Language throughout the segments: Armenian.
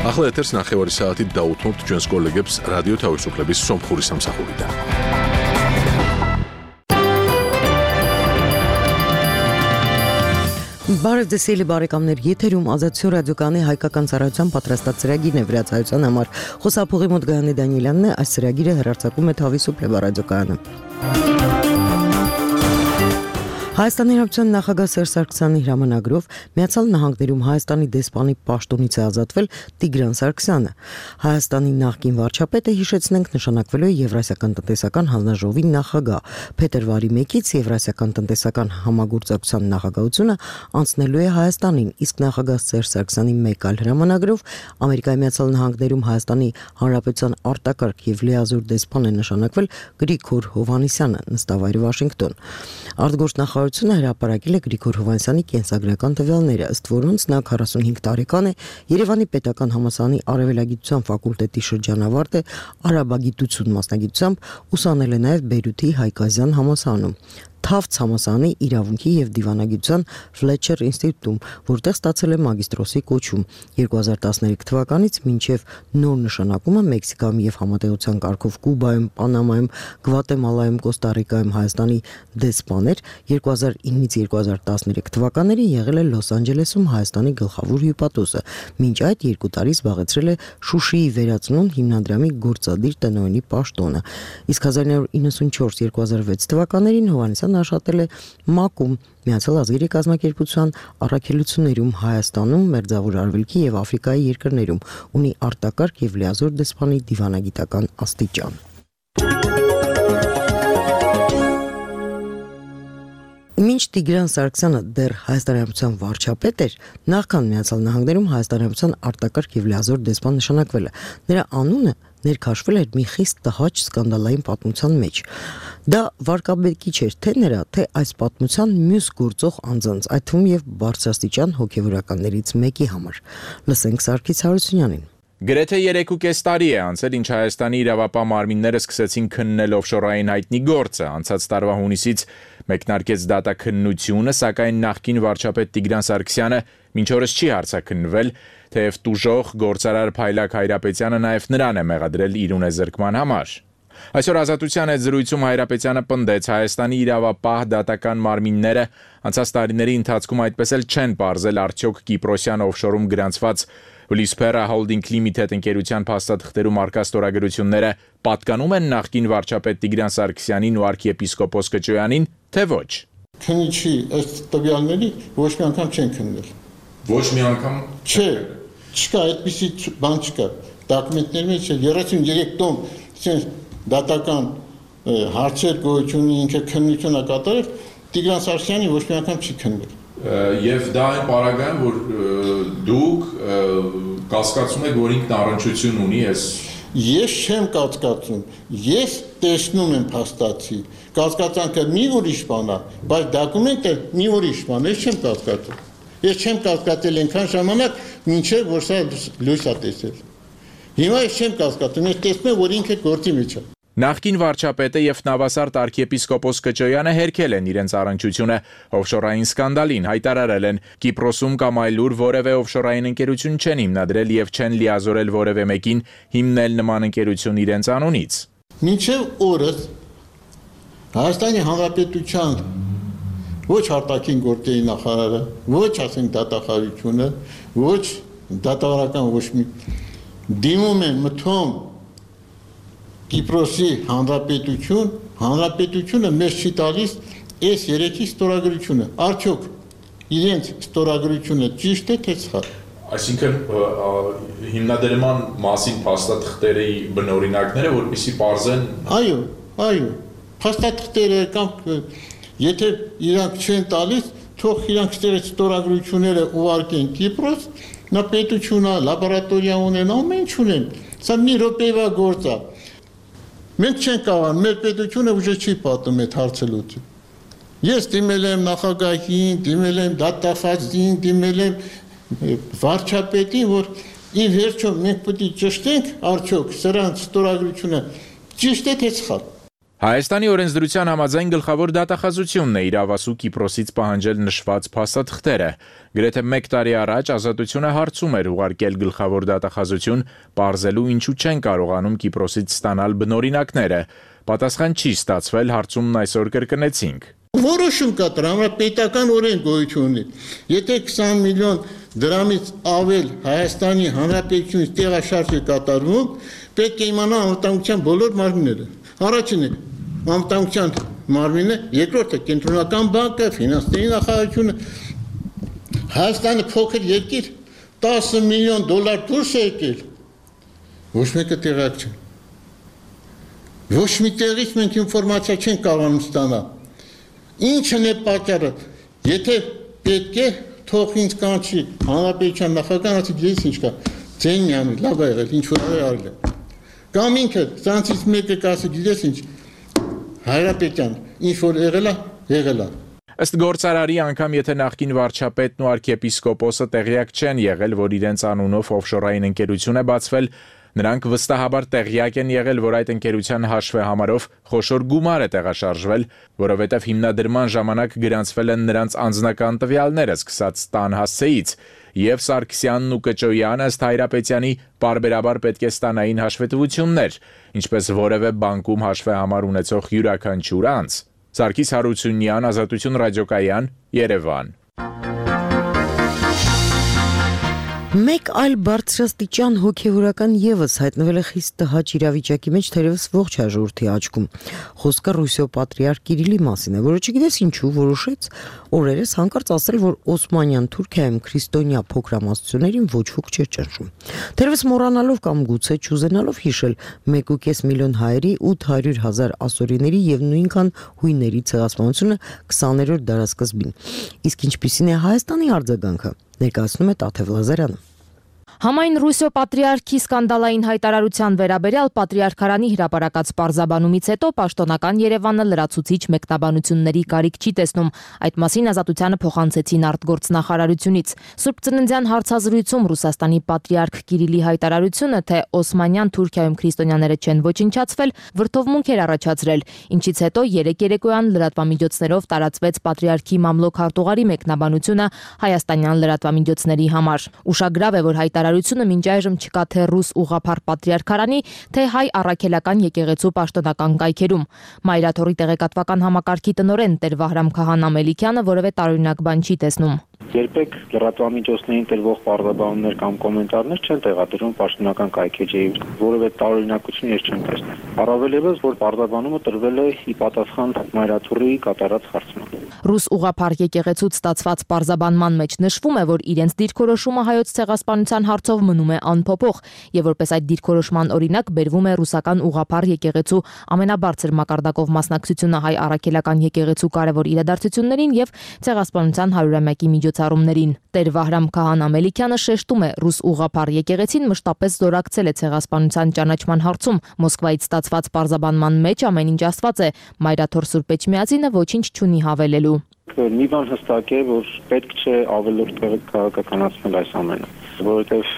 ახლა ეთერს ნახევარი საათით დაუთმობთ ჩვენს კოლეგებს რადიო თავისუფლების სომხური სამსახურიდან. Բարև ձեզ սիրելի բարեկամներ, եթերում Ազատություն ռադիոկայանի հայկական ծառայության պատրաստած ծրագիրն է վրացայության համար։ Խոսափողի մոտ Գայանե Դանիելյանն է, այս ծրագիրը հեռարձակում է Თავისუფლება ռադիոկայանը։ Հայաստանի Հանրապետության նախագահ Սերժ Սարգսյանի հրամանագրով Միացյալ Նահանգներում Հայաստանի դեսպանի պաշտոնից է ազատվել Տիգրան Սարգսյանը։ Հայաստանի նախկին վարչապետը, հիշեցնենք, նշանակվելու է Եվրասիական տնտեսական հանձնաժողովի նախագահ։ Փետրվարի 1-ից Եվրասիական տնտեսական համագործակցության նախագահությունը անցնելու է Հայաստանին, իսկ նախագահ Սերժ Սարգսյանի մեկ այլ հրամանագրով Ամերիկայի Միացյալ Նահանգներում Հայաստանի Հանրապետության արտակարգ եւ լիազոր դեսպան է նշանակվել Գրիգոր Հովհաննիսյանը, նստավայրը Վաշինգտոն։ Արտգործնախարարությունը հրապարակել է Գրիգոր Հովհաննիսյանի կենսագրական տվյալները, ըստ որոնց նա 45 տարեկան է, Երևանի Պետական համալսարանի արևելագիտության ֆակուլտետի շրջանավարտ է, արաբագիտություն մասնագիտությամբ, ուսանել է նաև Բեյրութի Հայկազյան համալսարանում, Թավց համալսարանի իրավունքի եւ դիվանագիտության Ֆլեչեր ինստիտուտում, որտեղ ստացել է մագիստրոսի կոչում։ 2013 թվականից մինչև նոր նշանակումը Մեքսիկայում եւ համատեղության կարգով Կուբայում, Պանամայում, Գվատեմալայում, Կոստա Ռիկայում Հայաստանի դեսպան էր, 2009-ից 2013 թվականներին եղել է Լոս Անջելեսում Հայաստանի գլխավոր հյուպատոսը, մինչ այդ 2 տարի զբաղեցրել է Շուշիի վերածնունդ հիմնադրամի գործադիր տնօրենի պաշտոնը։ Իսկ 1994-2006 թվականներին Հովհաննիսյանը աշխատել է ՄԱԿ-ում, Միացյալ ազգերի կազմակերպության առաքելություններում Հայաստանում, Մերձավոր Արևելքի եւ Աֆրիկայի երկրներում, ունի արտակարգ եւ լիազոր դեսպանի դիվանագիտական աստիճան։ Մինչ Տիգրան Սարգսյանը դեռ Հայաստանի Հանրապետության վարչապետ էր, նախքան Միացյալ Նահանգներում Հայաստանի Հանրապետության արտակարգ եւ լիազոր դեսպան նշանակվել է։ Նրա անունը ներքաշվել էր մի խիստ տհաճ սկանդալային պատմության մեջ։ Դա վարկաբեկի չէր թե նրա, թե այս պատմության մյուս գործող անձանց, այդ թվում եւ բարձրաստիճան հոգեվորականներից մեկի համար։ Լսենք Սարգիս Հարությունյանին։ Գրեթե 3.5 տարի է անցել, ինչ Հայաստանի իրավապահ մարմինները սկսեցին քննել օֆշորային հայտնի գործը, անցած տարվա հունիսից մեկնարկեց դատաքննությունը, սակայն նախկին վարչապետ Տիգրան Սարգսյանը մինչ օրս չի հարցաքննվել, թեև տուժող գործարար Փայլակ Հայրապետյանը նաև նրան է մեղադրել իր ունեզրկման համար։ Այսօր Ազատության հետ զրույցում Հայրապետյանը պնդեց, Հայաստանի իրավապահ դատական մարմինները անցած տարիների ընթացքում այդպես էլ չեն պարզել արդյոք Կիպրոսյան օֆշորում գրանցված Վլիսփերա Holding Limited ընկերության փաստաթղթերում առկա ստորագրությունները պատկանում են նախկին վարչապետ Տիգրան Սարգսյանին ու arczepiskopos Քոչոյանին, թե ոչ։ Քննիչի ըստ տվյալների ոչ մի անգամ չեն քննել։ Ոչ մի անգամ։ Չէ, չկա այդպիսի բան չկա։ Դոկումենտների մեջ 33 տոմ դատական հարցեր գոյություն ինքը քննությունը կատարել, Տիգրան Սարգսյանի ոչ մի անգամ չի քննել։ Եվ դա այն պարագայում, որ դուք կասկածում եք, որ ինքն առնչություն ունի այս։ Ես չեմ կասկածում, ես տեսնում եմ փաստացի, կասկածանքը մի ուրիշ բան է, բայց դոկումենտը մի ուրիշ բան է, ես չեմ կասկածում։ Ես չեմ կասկածել այնքան ժամանակ, մինչև որ սա լույս է տեսել։ Հիմա ես չեմ կասկածում, ես տեսնում եմ, որ ինքը գործի մեջ է։ Նախկին վարչապետը եւ նավասարդ arczepiskopos Քոչոյանը հերքել են իրենց առնչությունը օֆշորային սկանդալին, հայտարարել են Կիպրոսում կամ այլուր որևէ օֆշորային ընկերություն չեն հիմնադրել եւ չեն լիազորել որևէ մեկին հիմնել նման ընկերություն իրենց անունից։ Մինչև օրս Հայաստանի Հանրապետության ոչ արտաքին գործերի նախարարը, ոչ ասենք դատախազությունը, ոչ դատավարական ոչ մի դիմում են մթում Կիպրոսի հանրապետությունը մեզ չի տալիս այս 3-ի ստորագրությունը, արդյոք իրենց ստորագրությունը ճիշտ է թե սխալ։ Այսինքն հիմնադրման մասին փաստաթղթերի բնօրինակները, որպեսզի պարզեն։ Այո, փաստաթղթերը կամ եթե իրանք չեն տալիս, թող իրանք ստորագրությունները ուղարկեն Կիպրոս, նա պետությունը, լաբորատորիա ունեն, ամեն ինչ ունեն։ Սա մի րոպեվա գործ է։ Մենք չենք կարող, մեր պետությունը ուժը չի պատում այդ հարցը լուծի։ Ես դիմել եմ նախագահին, դիմել եմ դատախազին, դիմել եմ վարչապետին, որ ի վերջո մենք պետք է ճշտենք արդյոք սրանց ստորագրությունը ճիշտ է թե սխալ։ Հայաստանի օրենսդրության համաձայն գլխավոր դատախազությունն է իրավասու Կիպրոսից պահանջել նշված փաստաթղթերը։ Գրեթե 1 տարի առաջ Ազատությունը հարցում էր ուղարկել գլխավոր դատախազություն, պարզելու ինչու չեն կարողանում Կիպրոսից ստանալ բնօրինակները։ Պատասխան չի ստացվել, հարցումն այսօր կրկնեցինք։ Որոշում կա տրամապետական օրենք գոյություն ունի։ Եթե 20 միլիոն դրամից ավել Հայաստանի Հանրապետությունից տեղաշարժ է կատարվում, պետք է իմանա անվտանգության բոլոր մարմինները։ Առաջինը անվտանգության մարմինը, երկրորդը կենտրոնական բանկը, ֆինանսների նախարարությունը։ Հայաստանը փոքր երկիր 10 միլիոն դոլար դուրս է եկել։ Ոչ մեկը տեղյակ չէ։ Ոչ մի տեղից մենք ինֆորմացիա չենք կարողանում ստանալ։ Ինչն է պատճառը։ Եթե պետք է, թող ինձ կանչի հանրապետության նախագահն, ասի ես ինչ կա, ձեն միանի, լավ է եղել, ինչ որ արել է։ Կամ ինքը ցանցից մեկը կասի, գիտես ինչ, Հայրապետյան, ինչ որ եղել է։ Ըստ գործարարի անգամ եթե նախկին վարչապետն ու arczepiskoposը տեղյակ չեն եղել, որ իրենց անունով օֆշորային ընկերություն է բացվել, նրանք վստահաբար տեղյակ են եղել, որ այդ ընկերության հաշվեհամարով խոշոր գումար է տեղաշարժվել, որովհետև հիմնադրման ժամանակ գրանցվել են նրանց անձնական տվյալները սկսած տան հասցեից, եւ Սարգսյանն ու Կճոյանը ըստ Հայրապետյանի պարբերաբար պետք է ստանային հաշվետվություններ, ինչպես որևէ բանկում հաշվեհամար ունեցող յուրաքանչյուր անձ։ Սարգիս Հարությունյան, Ազատություն ռադիոկայան, Երևան։ Մեկ այլ բարձրաստիճան հոգևորական եւս հայտնվել է խիստ տհաճ իրավիճակի մեջ, թերևս ողջ հաջորդի աչքում։ Խոսքը Ռուսիո պատրիարք Կիրիլի մասին է, որը չգիտես ինչու որոշեց օրերս հանկարծ ասել, որ Օսմանյան Թուրքիայում քրիստոնյա փոքրամասնություններին ոչ ոք չէ ճնշում։ Թերևս մոռանալով կամ գուցե չուզենալով հիշել 1.5 միլիոն հայերի 800,000 ասորիների եւ նույնքան հույների ցեղասպանությունը 20-րդ դարասկզբին։ Իսկ ինչպիսին է Հայաստանի արձագանքը, ներկայացնում է Տաթև Լազարյանը։ Համայն Ռուսիո պատրիարքի սկանդալային հայտարարության վերաբերյալ պատրիարքարանի հրապարակած պարզաբանումից հետո պաշտոնական Երևանը լրացուցիչ մեկնաբանությունների կարիք չի տեսնում։ Այդ մասին Ազատությանը փոխանցեցին արտգործնախարարությունից։ Սուրբ Ծննդյան հարցազրույցում Ռուսաստանի պատրիարք Կիրիլի հայտարարությունը, թե Օսմանյան Թուրքիայում քրիստոնյաները չեն ոչնչացվել, վրդովմունք էր առաջացրել, ինչից հետո երեկոյան լրատվամիջոցներով տարածվեց պատրիարքի մամլոք հարտուղարի մեկնաբանությունը հայաստանյան լրատվամիջոցների համար։ Ուշագրավ է, որ հայտարարությունը մինչ այժմ չկա թե ռուս ուղղափառ պատրիարքարանի, թե հայ առաքելական եկեղեցու պաշտոնական կայքերում։ Մայրաթորի տեղեկատվական համակարգի տնօրեն Տեր Վահրամ Քահանա Մելիքյանը որևէ տարօրինակ բան չի տեսնում։ Երբեք լրատվամիջոցներին տրվող պարզաբանումներ կամ կոմենտարներ չեն տեղադրվում պաշտոնական կայքեջի, որևէ տարօրինակություն ես չեմ տեսնում։ Առավել ևս, որ պարզաբանումը տրվել է ի պատասխան Մայրաթորի կատարած հարցման։ Ռուս ուղղափառ եկեղեցուց ստացված պարզաբանման մեջ նշվում է, որ իրենց դիրքորոշումը հայոց ցեղասպանության հարցով մնում է անփոփոխ, եւ որպես այդ դիրքորոշման օրինակ բերվում է ռուսական ուղղափառ եկեղեցու ամենաբարձր մակարդակով մասնակցությունը հայ առաքելական եկեղեցու կարևոր իրադարձություններին եւ ցեղասպանության 100-ամյակի միջոցառումներին։ Տեր Վահրամ Քահանա Մելիքյանը շեշտում է, ռուս ուղղափառ եկեղեցին մշտապես զորակցել է ցեղասպանության ճանաչման հարցում։ Մոսկվայից ստացված պարզաբանման մեջ ամեն ինչ ասված է, Մայրաթոր Սուրբ Էջմիածինը ոչինչ չունի հավելելու։ Մի բան հստակ է, որ պետք չէ ավելորդ քաղաքականացնել այս ամենը, որովհետև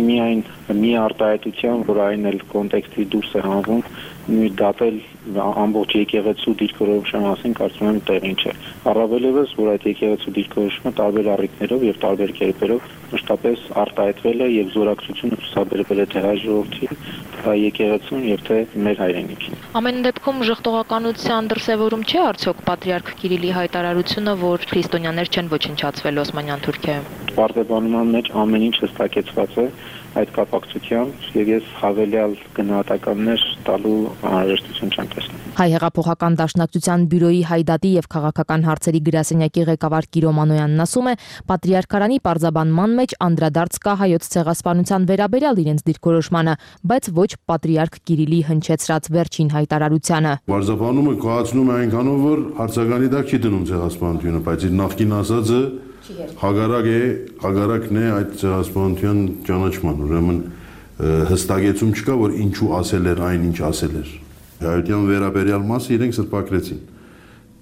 միայն մի արտահայտության, որ այն էլ կոնտեքստի դուրս է հանվում, դատել ամբողջ եկեղեցու դիրքորոշումը մասին կարծում եմ տեղին չէ։ Առավել ևս, որ այդ եկեղեցու դիրքորոշումը տարբեր առիթներով եւ տարբեր կերպերով մշտապես արտահայտվել է եւ զորակցությունը ցուցաբերվել է թե հայ ժողովրդին, թե եկեղեցուն եւ թե մեր հայրենիքին։ Ամեն դեպքում ժխտողականության դրսևորում չէ արդյոք պատրիարք Կիրիլի հայտարարությունը, որ քրիստոնյաներ չեն ոչնչացվել Օսմանյան Թուրքիայում։ Պարզաբանման մեջ ամեն ինչ հստակեցված է այդ կապակցությամբ եւ ես հավելյալ գնահատականներ տալու անհրաժեշտություն չեմ տեսնում։ Հայ հեղափոխական դաշնակցության բյուրոյի հայդատի եւ քաղաքական հարցերի գրասենյակի ղեկավար Կիրո Մանոյանն ասում է, պատրիարքարանի պարզաբանման մեջ անդրադարձ կա հայոց ցեղասպանության վերաբերյալ իրենց դիրքորոշմանը, բայց ոչ պատրիարք Կիրիլի հնչեցրած վերջին հայտարարությանը։ Պարզաբանումը կայացնում է այնքանով, որ հարցականի տակ չի դնում ցեղասպանությունը, բայց իր նախկին ասածը հագարակն է այդ ցեղասպանության ճանաչման, ուրեմն հստակեցում չկա, որ ինչու ասել էր այն, ինչ ասել էր։ Հայության վերաբերյալ մասը իրենք սրբակրեցին,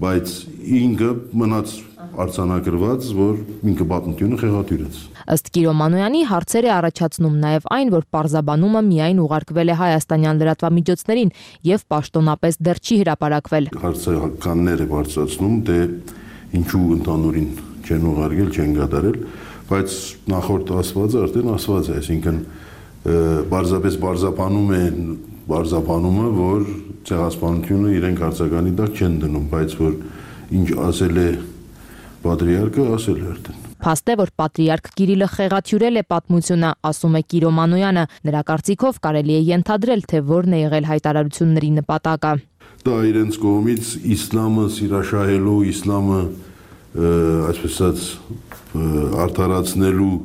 բայց ինքը մնաց արձանագրված, որ ինքը պատմությունը խեղաթյուրեց։ Ըստ Կիրո Մանոյանի հարցեր է առաջացնում նաև այն, որ պարզաբանումը միայն ուղարկվել է հայաստանյան լրատվամիջոցներին եւ պաշտոնապես դեռ չի հրապարակվել։ Հարցականներ է բարձրացնում, թե ինչու ընդհանուրին չեն ուղարկել, չեն կատարել, բայց նախորդ ասվածը արդեն ասված է, այսինքն պարզապես պարզաբանումը, որ ցեղասպանությունը իրենք հարցականի տակ չեն դնում, բայց որ ինչ ասել է պատրիարքը, ասել է արդեն։ Փաստ է, որ պատրիարք Կիրիլը խեղաթյուրել է պատմությունը, ասում է Կիրո Մանոյանը։ Նրա կարծիքով կարելի է ենթադրել, թե որն է եղել հայտարարությունների նպատակը։ Դա իրենց կողմից իսլամը սիրաշահելու, իսլամը այսպես ասած արդարացնելու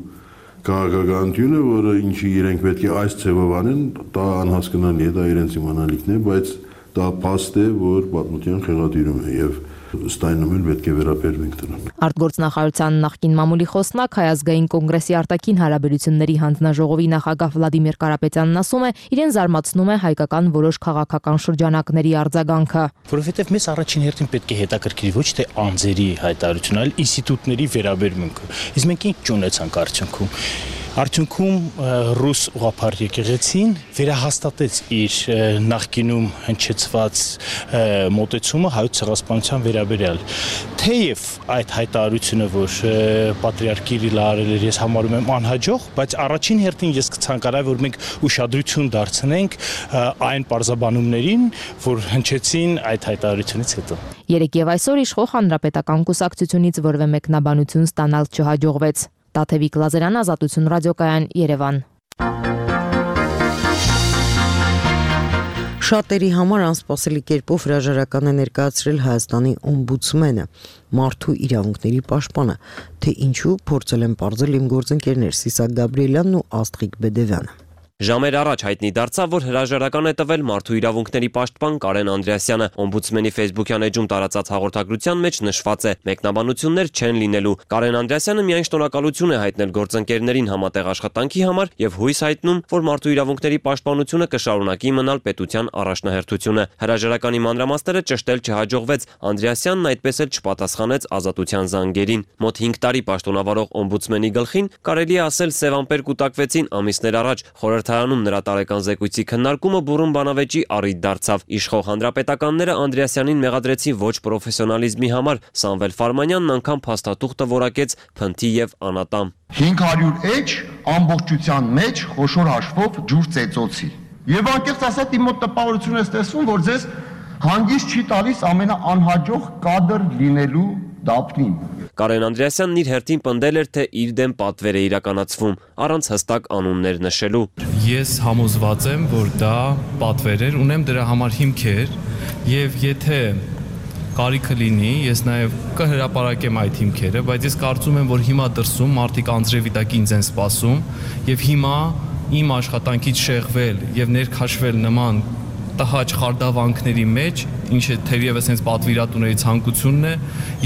քաղաքականությունը, որը ինչի իրենք պետք է այս ձևով անեն, դա անհասկանալի է, դա իրենց իմանալիքն է, բայց դա փաստ է, որ պատմության խեղաթյուրում է եւ ըստ այնու էլ պետք է վերաբերվենք դրան։ Արտգործնախարարության նախկին մամուլի խոսնակ Հայ ազգային կոնգրեսի արտաքին հարաբերությունների հանձնաժողովի նախագահ Վլադիմիր Կարապետյանն ասում է, իրեն զարմացնում է հայկական որոշ քաղաքական շրջանակների արձագանքը։ Որովհետև մեզ առաջին հերթին պետք է հետաքրքրի ոչ թե անձերի հայտարարությունը, այլ ինստիտուտների վերաբերմունքը։ Իսկ մենք ինչ ունեցանք արդյունքում ռուս ուղղափառ եկեղեցին վերահաստատեց իր նախկինում հնչեցված մոտեցումը հայոց ցեղասպանության վերաբերյալ։ Թեև այդ հայտարարությունը, որ պատրիարք Կիրիլը արել էր, ես համարում եմ անհաջող, բայց առաջին հերթին ես կցանկանայի, որ մենք ուշադրություն դարձնենք այն պարզաբանումներին, որ հնչեցին այդ հայտարարությունից հետո։ Երեկ եւ այսօր իշխող հանրապետական կուսակցությունից որևէ մեկնաբանություն ստանալ չհաջողվեց։ Տաթևիկ Լազարյան, Ազատություն ռադիոկայան, Երևան։ Շատերի համար անսպասելի կերպով հրաժարական է ներկայացրել Հայաստանի օմբուդսմենը, մարդու իրավունքների պաշտպանը, թե ինչու փորձել են պարզել իմ գործընկերներ Սիսակ Գաբրիելյանն ու Աստղիկ Բեդևյանը։ Ժամեր առաջ հայտնի դարձավ, որ հրաժարական է տվել մարդու իրավունքների պաշտպան Կարեն Անդրեասյանը։ Օմբուդսմենի Facebook-յան էջում տարածած հաղորդագրության մեջ նշված է. մեկնաբանություններ չեն լինելու։ Կարեն Անդրեասյանը միայն շնորհակալություն է հայտնել գործընկերներին համատեղ աշխատանքի համար եւ հույս հայտնում, որ մարդու իրավունքների պաշտպանությունը կշարունակի մնալ պետության առաջնահերթությունը։ Հրաժարականի մանրամասները ճշտել չհաջողվեց։ Անդրեասյանն այդպես էլ չպատասխանեց Ազատության զանգերին։ Մոտ 5 տարի պաշտոնավարող օմբուդսմենի գլխին կարելի է ասել սև ամպեր կուտակվեցին ամիսներ առաջ։ Խորհրդարանում նրա տարեկան զեկույցի քննարկումը բուռն բանավեճի առիթ դարձավ։ Իշխող հանրապետականները Անդրեասյանին մեղադրեցին ոչ պրոֆեսիոնալիզմի համար։ Սամվել Ֆարմանյանն անգամ փաստաթուղթը որակեց փնթի եւ անատամ։ 500 էջ ամբողջության մեջ խոշոր հաշվով ջուր ծեծոցի։ Եվ անկեղծ ասած իմ մոտ տպավորություն է ստեղծվում, որ ձեզ հանգիստ չի տալիս ամենաանհաջող կադր լինելու դափնին։ Կարեն Անդրեասյանն իր հերթին պնդել էր, թե իր դեմ պատվեր է իրականացվում, առանց հստակ անուններ նշելու։ Ես համոզված եմ, որ դա պատվեր էր, ունեմ դրա համար հիմքեր, եւ եթե կարիքը լինի, ես նաեւ կհրապարակեմ այդ հիմքերը, բայց ես կարծում եմ, որ հիմա դրսում մարդիկ անձրևի տակ ինձ են սպասում, եւ հիմա իմ աշխատանքից շեղվել եւ ներքաշվել նման տհաճ խարդավանքների մեջ, ինչը թերևս հենց պատվիրատուների ցանկությունն է,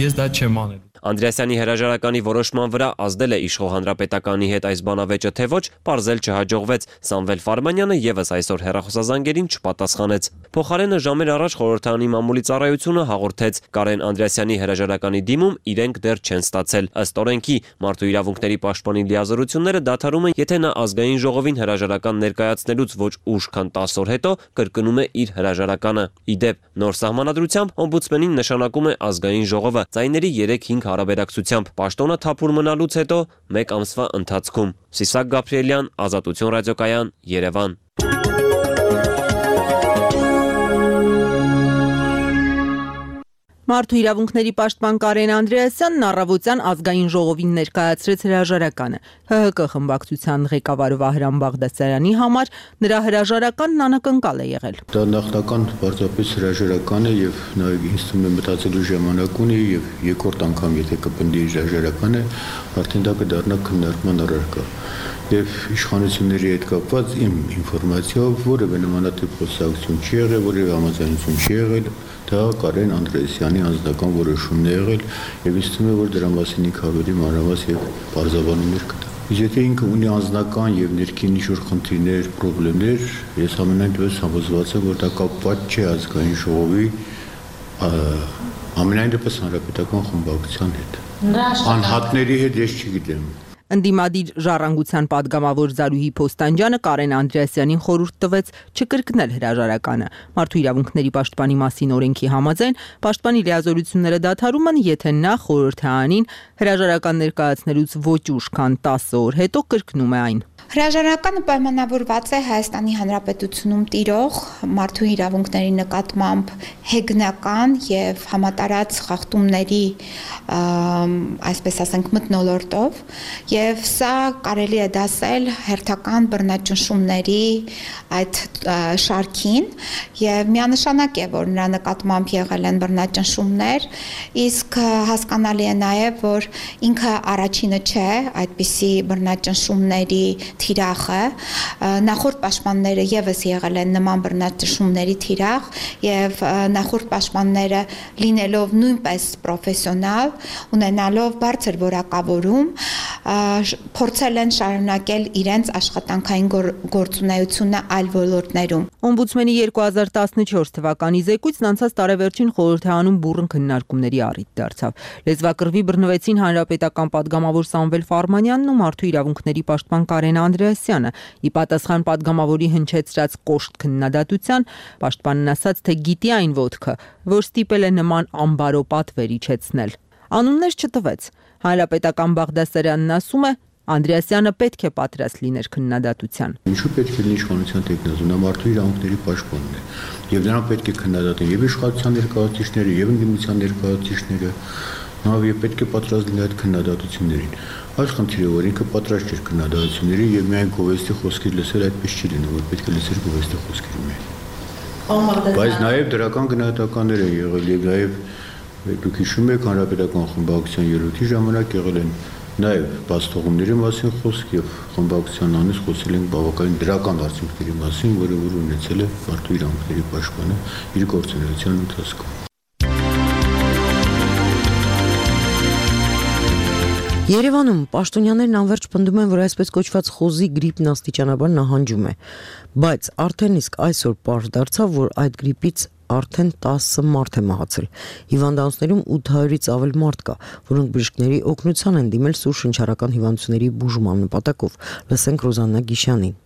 ես դա չեմ անել։ Անդրեասյանի հրաժարականի որոշման վրա ազդել է իշխող հանրապետականի հետ այս բանավեճը, թե ոչ, պարզել չհաջողվեց։ Սամվել Ֆարմանյանը եւս այսօր հեռախոսազանգերին չպատասխանեց։ Փոխարենը ժամեր առաջ խորհրդարանի մամուլի ծառայությունը հաղորդեց. Կարեն Անդրեասյանի հրաժարականի դիմում իրենք դեռ չեն ստացել։ Ըստ օրենքի, մարդու իրավունքների պաշտպանի լիազորությունները դադարում են, եթե նա ազգային ժողովին հրաժարական ներկայացնելուց ոչ ուշ, քան 10 օր հետո կրկնում է իր հրաժարականը։ Իդեպ, նոր սահմանադրությամբ օմբուդսմենին նշանակում է ազգային ժողովը ձայների 3-5 հարաբերակցությամբ պաշտոնը թափուր մնալուց հետո 1 ամսվա ընթացքում։ Սիսակ Գաբրիելյան, Ազատություն ռադիոկայան, Երևան։ Մարդու իրավունքների պաշտպան Կարեն Անդրեասյանն առավոտյան ազգային ժողովին ներկայացրեց հրաժարականը։ ՀՀԿ խմբակցության ղեկավար Վահրամ Բաղդասարյանի համար նրա հրաժարականն անակնկալ է եղել։ Դա նախնական պարզապես հրաժարական է եւ նաեւ ինձ թվում է մտածելու ժամանակ ունի եւ երկրորդ անգամ եթե կպնդի հրաժարականը, արդեն դա կդառնա քննարկման առարկա։ Եվ իշխանությունների հետ կապված իմ ինֆորմացիայով որևէ նմանատիպ խոսակցություն չի եղել, որևէ համաձայնություն չի եղել, դա Կարեն Անդրեասյանի անձնական որոշումն է եղել եւ ինձ թվում է, որ դրա մասին ինքը ավելի մանրամասն եւ բարձրաբանումներ կտա։ Եթե ինքը ունի անձնական եւ ներքին ինչ-որ խնդիրներ, խնդիրներ, ես ամենայն դեպս համոզված եմ, որ դա կապված չէ ազգային ժողովի ամենայն դեպս հանրապետական խմբակցության հետ։ Անհատների հետ ես չգիտեմ։ Ընդդիմադիր ժառանգության падգամավոր Զարուհի Փոստանջյանը Կարեն Անդրեասյանին խորհուրդ տվեց չկրկնել հրաժարականը։ Մարդու իրավունքների պաշտպանի մասին օրենքի համաձայն պաշտպանի լիազորությունները դադարում են, եթե նա խորհրդարանին հրաժարական ներկայացնելուց ոչ ուշ քան 10 օր հետո կրկնում է այն։ Հրաժարականը պայմանավորված է Հայաստանի Հանրապետությունում տիրող մարդու իրավունքների նկատմամբ հեգնական եւ համատարած խախտումների, այսպես ասենք, մթնոլորտով, եւ սա կարելի է դասել հերթական բռնաճնշումների այդ շարքին, եւ միանշանակ է, որ նրա նկատմամբ եղել են բռնաճնշումներ, իսկ հասկանալի է նաեւ, որ ինքը առաջինը չէ այդպիսի բռնաճնշումների թիրախը, նախորդ պաշտպանները եւս եղել են նման բռնաճնշումների թիրախ եւ նախորդ պաշտպանները լինելով նույնպես պրոֆեսիոնալ, ունենալով բարձր որակավորում, փորձել են շարունակել իրենց աշխատանքային գործունեությունը այլ ոլորտներում։ Օմբուդսմենի 2014 թվականի զեկույցն անցած տարեվերջին խորհրդարանում բուռն քննարկումների առիթ դարձավ։ Լեզվակռվի բռնվեցին հանրապետական падգամավոր Սամվել Ֆարմանյանն ու մարդու իրավունքների պաշտպան Կարեն Անդրեասյանը։ Ի պատասխան падգամավորի հնչեցրած կոշտ քննադատության, պաշտպանն ասաց, թե գիտի այն ոտքը, որ ստիպել է նման ամբարո պատվեր իջեցնել։ Անուններ չտվեց։ Հանրապետական Բաղդասարյանն ասում է, Անդրեասյանը պետք է պատրաստ լիներ քննադատության։ Ինչու պետք է լինի իշխանության տեխնազու, նա մարդու իրավունքների պաշտպանն է, եւ նրան պետք է քննադատեն եւ իշխանության ներկայացուցիչները, եւ ընդդիմության ներկայացուցիչները, նա եւ պետք է պատրաստ լինի այդ քննադատություններին։ Այս խնդիրը, որ ինքը պատրաստ չէր քննադատությունների եւ միայն գովեստի խոսքեր լսել, այդպես չի լինում, որ պետք է լսել գովեստի խոսքերը միայն։ Բայց նաեւ դրական գնահատականներ են եղել եւ նաեւ դուք հիշում եք հանրապետական խմբակցության ելույթի ժամանակ եղել են նաև բացթողումների մասին խոսք եւ խմբակցության անունից խոսել են բավականին դրական արդյունքների մասին, որը որ ունեցել է մարդու իրավունքների պաշտպանը իր գործունեության ընթացքում։ Երևանում պաշտոնյաներն անվերջ պնդում են, որ այսպես կոչված խոզի գրիպն աստիճանաբար նահանջում է, բայց արդեն իսկ այսօր պարզ դարձավ, որ այդ գրիպից արդեն 10 մարդ է մահացել։ Հիվանդանոցներում 800-ից ավել մարդ կա, որոնք բժիշկների օգնության են դիմել սուր շնչառական հիվանդությունների բուժման նպատակով։ Լսենք Ռոզաննա Գիշյանին։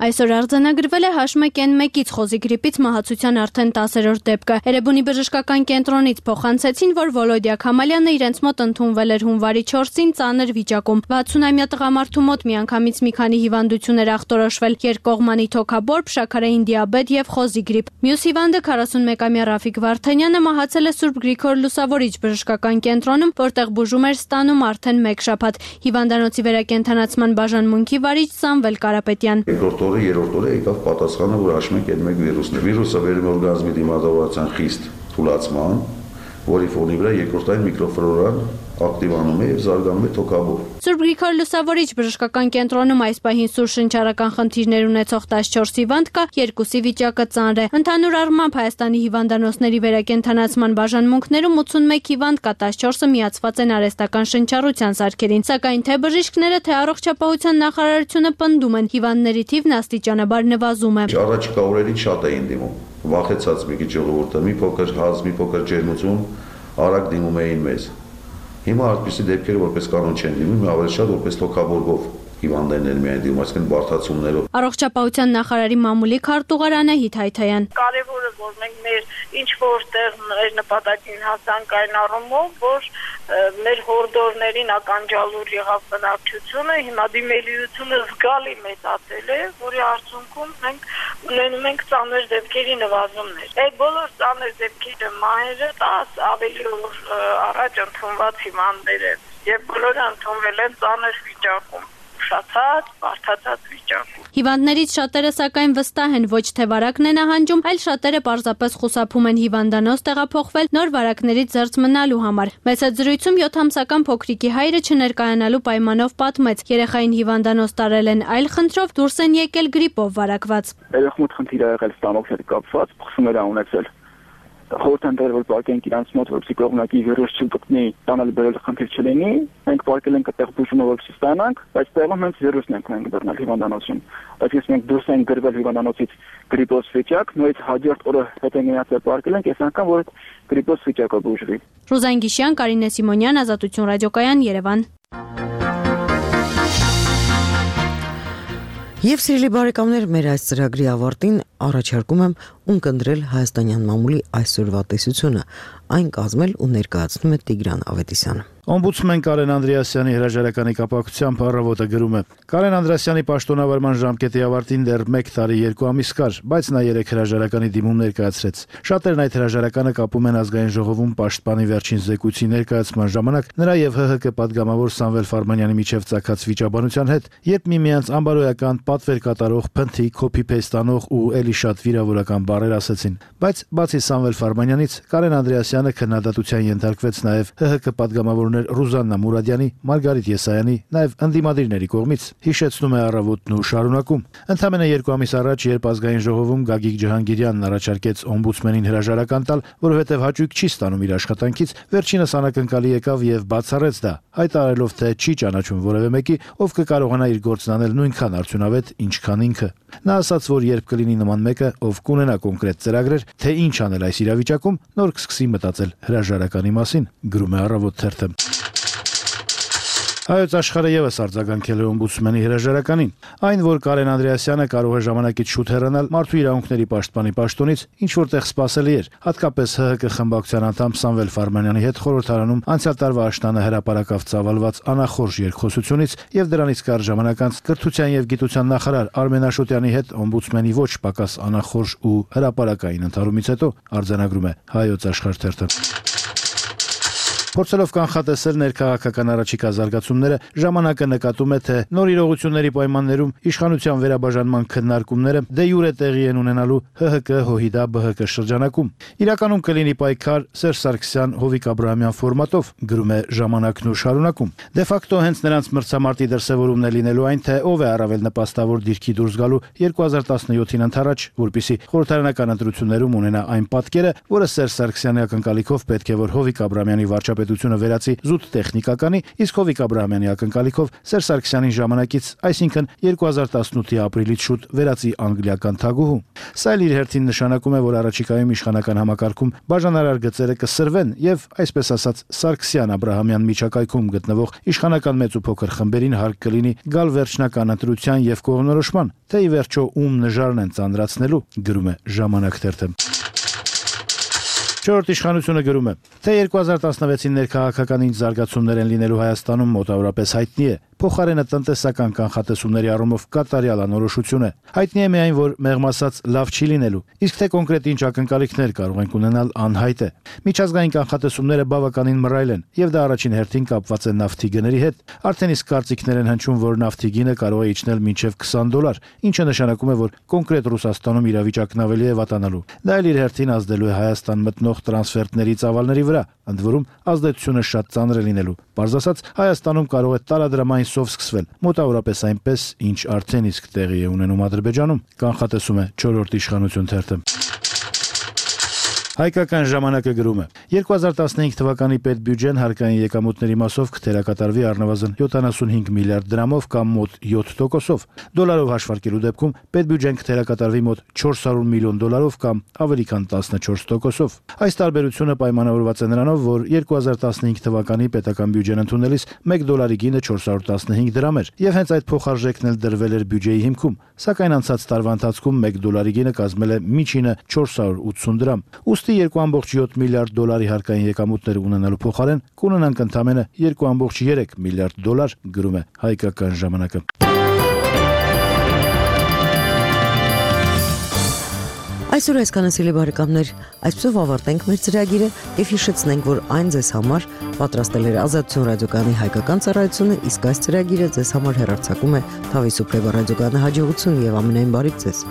Այսօր արձանագրվել է H1N1-ից խոզի գրիպից մահացության արդեն 10-րդ դեպքը։ Էրեբունի բժշկական կենտրոնից փոխանցեցին, որ Վոլոդիա Քամալյանը իրենց մոտ ընդունվել էր հունվարի 4-ին ծանր վիճակում։ 60-ամյա տղամարդու մոտ միանգամից մի քանի հիվանդություն էր ախտորոշվել՝ երկկողմանի թոքաբորբ, շաքարային դիաբետ եւ խոզի գրիպ։ Մյուս հիվանդը 41-ամյա Ռաֆիկ Վարդանյանը մահացել է Սուրբ Գրիգոր Լուսավորիչ բժշկական կենտրոնում, որտեղ բուժում էր ստանում արդեն 1 շաբաթ։ Հիվանդանոցի վերակենդանացման բաժանմունքի վարիչ Սամվել Կարապետյան։ Երրորդ օրը եկավ պատասխանը, որ H1N1 վիրուսն է։ Վիրուսը վերում է օրգանիզմի դիմադրության խիստ թուլացման, որի ֆոնի վրա երկրորդային միկրոֆլորան ակտիվանում է եւ զարգանում է թոքաբորբ։ Սուրբ Գրիգոր Լուսավորիչ բժշկական կենտրոնում այս պահին սուր շնչառական խնդիրներ ունեցող 14 հիվանդ կա, 2-ի վիճակը ծանր է։ Ընդհանուր առմամբ Հայաստանի հիվանդանոցների վերակենդանացման բաժանմունքներում 81 հիվանդ կա, 14-ը միացված են արհեստական շնչառության սարքերին, սակայն թե բժիշկները, թե առողջապահության նախարարությունը պնդում են, հիվանդների թիվն աստիճանաբար նվազում է։ Առաջիկա օրերին շատ էին դիմում, վախեցած մի քիչ ժողովուրդը, մի փոքր հազ, մի փոքր ջերմություն, արագ դիմում էին մեզ։ Հիմա այդպիսի դեպքերը որպես կանոն չեն դիմում, ավելի շատ որպես թոքաբորբով հիվանդներն միայն դիմում, այսինքն բարդացումներով։ Առողջապահության նախարարի մամուլի քարտուղար Անահիտ Հայթայան։ Կարևորը որ մենք մեր ինչ որտեղ մեր նպատակին հասանք այն առումով, որ մեր հորդորներին ականջալուր եղավ բնակչությունը, հիմա դիմելիությունը զգալի մեծացել է, որի արդյունքում մենք ունենում ենք ծանր դեպքերի նվազումներ։ Այդ բոլոր ծանր դեպքերը մահերը 10 ավելի օր առաջ ընդունված հիվանդներ են, եւ բոլորը ընդունվել են ծանր վիճակում, ուշացած, բարդացած վիճակում։ Հիվանդներից շատերը սակայն վստահ են, ոչ թե վարակն է նահանջում, այլ շատերը պարզապես խուսափում են հիվանդանոց տեղափոխվել նոր վարակներից զերծ մնալու համար։ Մեծ զրույցում 7-ամսական փոքրիկի հայրը չներկայանալու պայմանով պատմեց, երեխային հիվանդանոց տարել են այլ խնդրով, դուրս են եկել գրիպով վարակված։ Երեխամուտ խնդիր ա եղել ստամոքսի հետ կապված, փխսումներ ա ունեցել։ խորհրդանտեր որ պարկենք իրանց մոտ որպեսզի կողմնակի վիրուս չգտնի տանել բերել խնդիր չլինի մենք պարկել ենք այդտեղ բուժումը որպեսզի ստանանք բայց տեղում հենց վիրուսն ենք բռնել հիվանդանոցում բայց ես մենք դուրս ենք գրվել հիվանդանոցից գրիպոս վիճակ նույնիսկ հաջորդ օրը հետ են գնացել պարկել ենք այս անգամ որ գրիպոս վիճակը բուժվի Ռուզան Գիշյան, Կարինե Սիմոնյան, Ազատություն ռադիոկայան, Երևան Եվ սիրելի բարեկամներ, մեր այս ծրագրի ավարտին առաջարկում եմ ունկնդրել հայաստանյան մամուլի այսօրվա տեսությունը, այն կազմել ու ներկայացնում է Տիգրան Ավետիսյանը։ Օմբուդսմեն Կարեն Անդրեասյանի հրաժարականի կապակցությամբ առավոտը գրում է. Կարեն Անդրեասյանի պաշտոնավարման ժամկետի ավարտին դեռ 1 տարի 2 ամիս կար, բայց նա 3 հրաժարականի դիմում ներկայացրեց։ Շատերն այդ հրաժարականը կապում են ազգային ժողովում պաշտպանի վերջին զեկույցի ներկայացման ժամանակ նրա եւ ՀՀԿ պատգամավոր Սամվել Ֆարմանյանի միջև ծագած վիճաբանության հետ, երբ միմյանց անբարոյական պատվեր կատարող, փնթի, copy-paste անող ու էլի շատ վիրավորական բառեր ասեցին։ Բայց բացի Սամվել Ֆարմանյանից, Կարեն Անդրեասյանը քննադատության ենթարկվեց նաեւ ՀՀԿ պատգամավոր Ռուզաննա Մուրադյանի, Մարգարիտ Եսայանի, նաև ընդդիմադիրների կողմից, հիշեցնում է առավոտն ու շարունակում։ Ընդամենը 2 ամիս առաջ, երբ ազգային ժողովում Գագիկ Ջհանգիրյանն առաջարկեց օմբուդսմենին հրաժարական տալ, որովհետև հաճույք չի ստանում իր աշխատանքից, վերջինս անակնկալի եկավ եւ բացառեց դա, հայտարարելով, թե չի ճանաչում որևէ մեկի, ով կկարողանա իր գործն անել նույնքան արդյունավետ, ինչքան ինքը։ Նա ասաց, որ երբ կլինի նման մեկը, ով կունենա կոնկրետ ծրագրեր, թե ինչ անել այս իրավիճակում, նոր կսկսի մտածել հրաժարականի մասին, գրում է Առավոտ թերթը։ Հայոց աշխարհը եւս արձագանքել է օմբուդսմենի հրաժարականին։ Այն, որ Կարեն Անդրեասյանը կարող է ժամանակից շուտ հեռանալ մարդու իրավունքների պաշտպանի պաշտոնից, ինչ որտեղ սպասելի էր, հատկապես ՀՀԿ խմբակցության անդամ Սամվել Ֆարմանյանի հետ խորհրդարանում անցյալ տարվա աշնանը հրապարակավ ծավալված անախորժ երկխոսությունից եւ դրանից կարճ ժամանակ անց կրթության եւ գիտության նախարար Արմեն Աշոտյանի հետ օմբուդսմենի ոչ պակաս անախորժ ու հրապարակային ընդհարումից հետո արձանագրում է Հայոց աշխարհ թերթը։ Փորձելով կանխատեսել ներքաղաքական առաջիկա զարգացումները, ժամանակը նկատում է, թե նոր իրողությունների պայմաններում իշխանության վերաբաժանման քննարկումները դե յուրե տեղի են ունենալու ՀՀԿ ՀՅԴ-ԲՀԿ շրջանակում։ Իրականում կլինի պայքար Սերժ Սարգսյան Հովիկ Աբրահամյան ֆորմատով, գրում է Ժամանակն ու շարունակում։ Դե ֆակտո հենց նրանց մրցամարտի դրսևորումն է լինելու այն, թե ով է առավել նպաստավոր դիրքի դուրս գալու 2017-ին ընդառաջ, որպիսի խորհրդարանական ընտրություններում ունենա այն պատկերը, որը Սերժ Սարգսյանի ակնկալիքով պետք է որ Հովիկ Աբրահամյանի վարչապետությունը վերածի զուտ տեխնիկականի, իսկ Հովիկ Աբրահամյանի ակնկալիքով Սերժ Սարգսյանի ժամանակից, այսինքն 2018-ի ապրիլից շուտ վերածի անգլիական թագուհու։ Սա իր հերթին նշանակում է, որ առաջիկայում իշխանական համակարգում բաժանարար գծերը կսրվեն եւ, այսպես ասած, Սարգսյան-Աբրահամյան միջակայքում գտնվող իշխանական մեծ ու փոքր խմբերին հարկ կլինի գալ վերջնական ընտրության եւ կողմնորոշման, թե ի վերջո ում նժարն են ծանրացնելու, գրում է Ժամանակ թերթը։ Չորրորդ իշխանությունը գրում է, թե 2016-ին ներքաղաքական ինչ զարգացումներ են լինելու Հայաստանում մոտավորապես հայտնի է, փոխարենը տնտեսական կանխատեսումների առումով կատարյալ անորոշություն է։ Հայտնի է միայն, որ մեղմ ասած լավ չի լինելու, իսկ թե կոնկրետ ինչ ակնկալիքներ կարող ենք ունենալ անհայտ է։ Միջազգային կանխատեսումները բավականին մռայլ են, եւ դա առաջին հերթին կապված է նավթի գների հետ։ Արդեն իսկ կարծիքներ են հնչում, որ նավթի գինը կարող է իջնել մինչև $20, ինչը նշանակում է, որ կոնկրետ Ռուսաստանում իրավիճակն ավելի է վատանալու։ Դա էլ իր հերթին ազդելու է Հայաստան մտնող տրանսֆերտների ծավալների վրա, ընդ որում ազդեցությունը շատ ծանր է լինելու։ Պարզ ասած, Հայաստանում կարող է տարադրամային սով սկսվել, մոտավորապես այնպես, ինչ արդեն իսկ տեղի է ունենում Ադրբեջանում, կանխատեսում է 4-րդ իշխանություն թերթը։ Հայկական ժամանակը գրում է. 2015 թվականի պետբյուջեն հարկային եկամուտների մասով կթերակատարվի առնվազն 75 միլիարդ դրամով կամ մոտ 7%-ով։ Դոլարով հաշվարկելու դեպքում պետբյուջեն կթերակատարվի մոտ 400 միլիոն դոլարով կամ ավելի քան 14%-ով։ Այս տարբերությունը պայմանավորված է նրանով, որ 2015 թվականի պետական բյուջեն ընդունելիս 1 դոլարի գինը 415 դրամ էր, եւ հենց այդ փոխարժեքն էլ դրվել էր բյուջեի հիմքում, սակայն անցած տարվա ընթացքում 1 դոլարի գինը կազմել է միջինը 480 դրամ։ Ուստի 2.7 միլիարդ դոլարի հարկային եկամուտներ ունենալու փոխարեն կունենանք ընդամենը 2.3 միլիարդ դոլար, գրում է Հայկական ժամանակը։ Այսօր այսքանը սիրելի բարեկամներ, այսպեսով ավարտենք մեր ծրագիրը եւ հիշեցնենք, որ այն ձեզ համար պատրաստել էր Ազատություն ռադիոկայանի հայկական ծառայությունը, իսկ այս ծրագիրը ձեզ համար հեռարձակում է Թավիսուփ ռադիոկայանի հաջողություն եւ ամենայն բարիք ձեզ։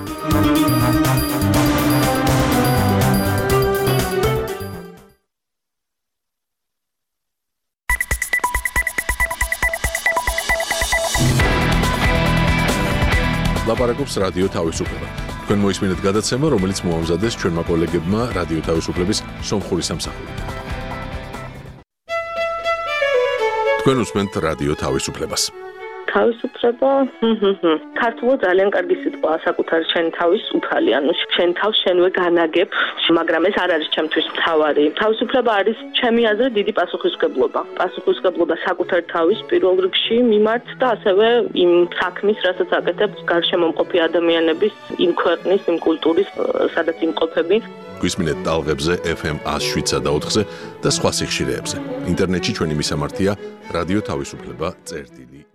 Լապարակոպս ռադիո Թավիսուփ Თქვენ მოისმინეთ გადაცემა, რომელიც მოამზადეს ჩვენმა კოლეგებმა რადიო თავისუფლების სომხური სამსახურით. თქვენ უსმენთ რადიო თავისუფლებას. თავისუფლება ქართულად ძალიან კარგი სიტყვაა საკუთარი შენ თავის უფალი, ანუ შენ თავს შენვე განაგებ, მაგრამ ეს არ არის ჩემთვის მთავარი. თავისუფლება არის ჩემი აზრით დიდი პასუხისმგებლობა. პასუხისმგებლობა საკუთარი თავის პირველ რიგში მიმართ და ასევე იმ საქმის, რასაც აკეთებს გარშემო მყოფი ადამიანების, იმ ქვეყნის, იმ კულტურის, სადაც იმყოფები. გვისმინეთ ტალღებზე FM 107-ზე და 4-ზე და სხვა სიხშირეებზე. ინტერნეტში ჩვენი მისამართია რადიო თავისუფლება წერტილი